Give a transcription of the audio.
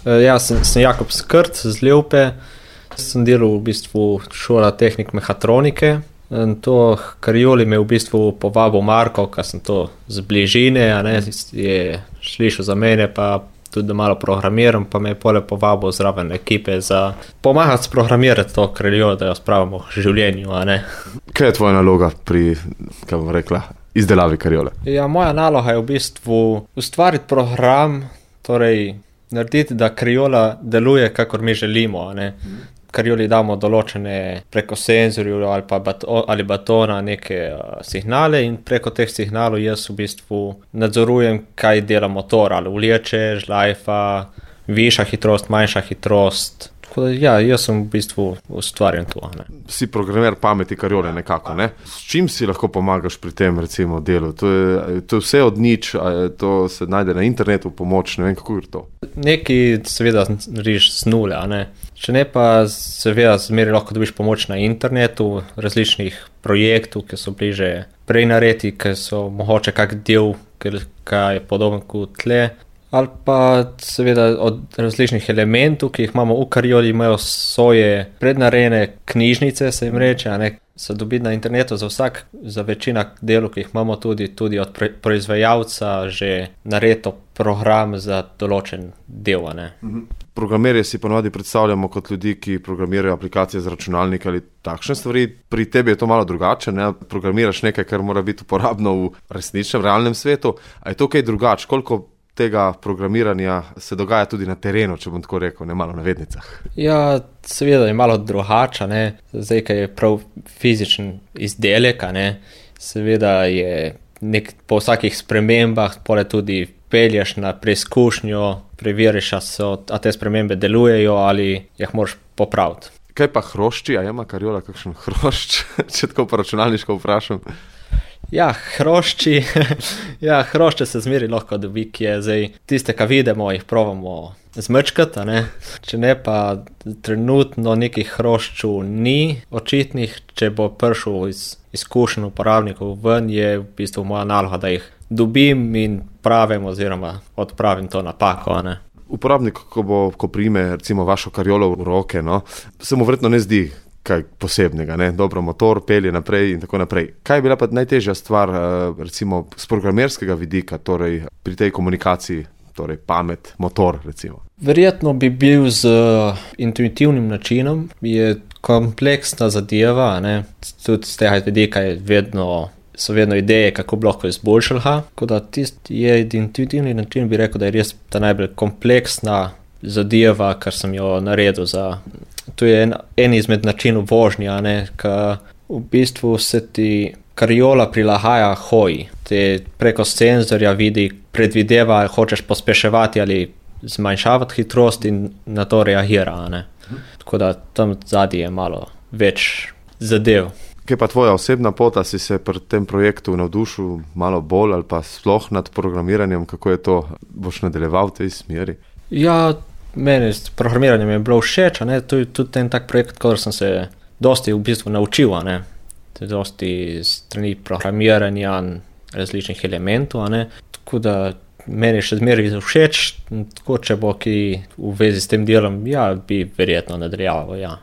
Ja, sem Jakob Skrt z Ljubpe. Sem delal v bistvu šola tehnik mehatronike. In to karioli me v bistvu povabil Marko, ker sem to z bližine, je slišal za mene, pa tudi da malo programiram, pa me je pole povabil zraven ekipe za pomagati sprogramirati to kariolo, da jo spravimo v življenju, Kaj je tvoja naloga pri, kaj bom rekla, izdelavi kariole? Ja, moja naloga je v bistvu ustvariti program, torej narediti, da kariola deluje, kakor mi želimo, Karioli damo določene preko senzorjev ali batona neke signale in preko teh signalov jaz v bistvu nadzorujem, kaj dela motor, ali vleče, žlajfa, višja hitrost, manjša hitrost. Tako da ja, jaz sem v bistvu ustvarjen to. Si programer pameti kariole nekako, S čim si lahko pomagaš pri tem recimo delu? To je vse od nič, to se najde na internetu pomoč, ne vem, kako je to? Neki seveda narediš z nule, Če ne pa seveda zmeri lahko dobiš pomoč na internetu, različnih projektov, ki so bliže prej naredi, ki so mogoče kak del, kaj je podoben kot tle. Ali pa seveda od različnih elementov, ki jih imamo v karioli, imajo svoje prednarejene knjižnice, se jim reče, se dobi na internetu za večina delov, ki jih imamo tudi od proizvajalca že naredo program za določen del, Programerje si ponovadi predstavljamo kot ljudi, ki programirajo aplikacije za računalnik ali takšne stvari. Pri tebi je to malo drugače, Programiraš nekaj, kar mora biti uporabno v resničnem, realnem svetu. A je to kaj drugače? Koliko tega programiranja se dogaja tudi na terenu, če bom tako rekel, malo na vednicah? Ja, seveda je malo drugače, Zdaj, kaj je prav fizičen izdelek, Seveda je po vsakih spremembah, pole tudi pelješ na preizkušnjo, preveriš, a te spremembe delujejo ali jih moraš popraviti. Kaj pa hrošči? A ima kariola kakšen hrošč, če tako po računalniško vprašam? Ja, hrošče se zmeri lahko dobi, ki je zdaj tiste, ki vidimo, jih probamo zmrčkati, Če ne pa trenutno nekih hroščov ni očitnih, če bo prišel iz izkušenj uporabnikov ven, je v bistvu moja naloga, da jih dobim in pravim oziroma odpravim to napako, Uporabnik, ko prime recimo vašo kariolo v roke, se mu verjetno ne zdi kaj posebnega, Dobro, motor pelje naprej in tako naprej. Kaj je bila pa najtežja stvar, recimo z programerskega vidika, torej pri tej komunikaciji, torej pamet, motor, recimo? Verjetno bi bil z intuitivnim načinom, je kompleksna zadeva, Tudi z tega vidika so vedno ideje, kako bi lahko izboljšali. Tako da tisti je intuitivni način, bi rekel, da je res ta najbolj kompleksna zadeva, kar sem jo naredil to je en izmed načinov vožnje, ker v bistvu se ti kariola prilagaja hoji. Te preko senzorja vidi, predvideva, hočeš pospeševati ali zmanjšavati hitrost in na to reagira, Tako da tam zadnji je malo več zadev. Kaj pa tvoja osebna pota, si se pri tem projektu navdušil malo bolj ali pa sploh nad programiranjem, kako je to, boš nadaljeval v tej smeri? Ja, meni s programiranjem je bilo všeč, to je tudi en tak projekt, kjer sem se dosti v bistvu naučil, dosti strani programiranja različnih elementov, tako da meni še zmeraj všeč, tako če bo ki v vezi s tem delom, ja, bi verjetno nadaljeval, ja.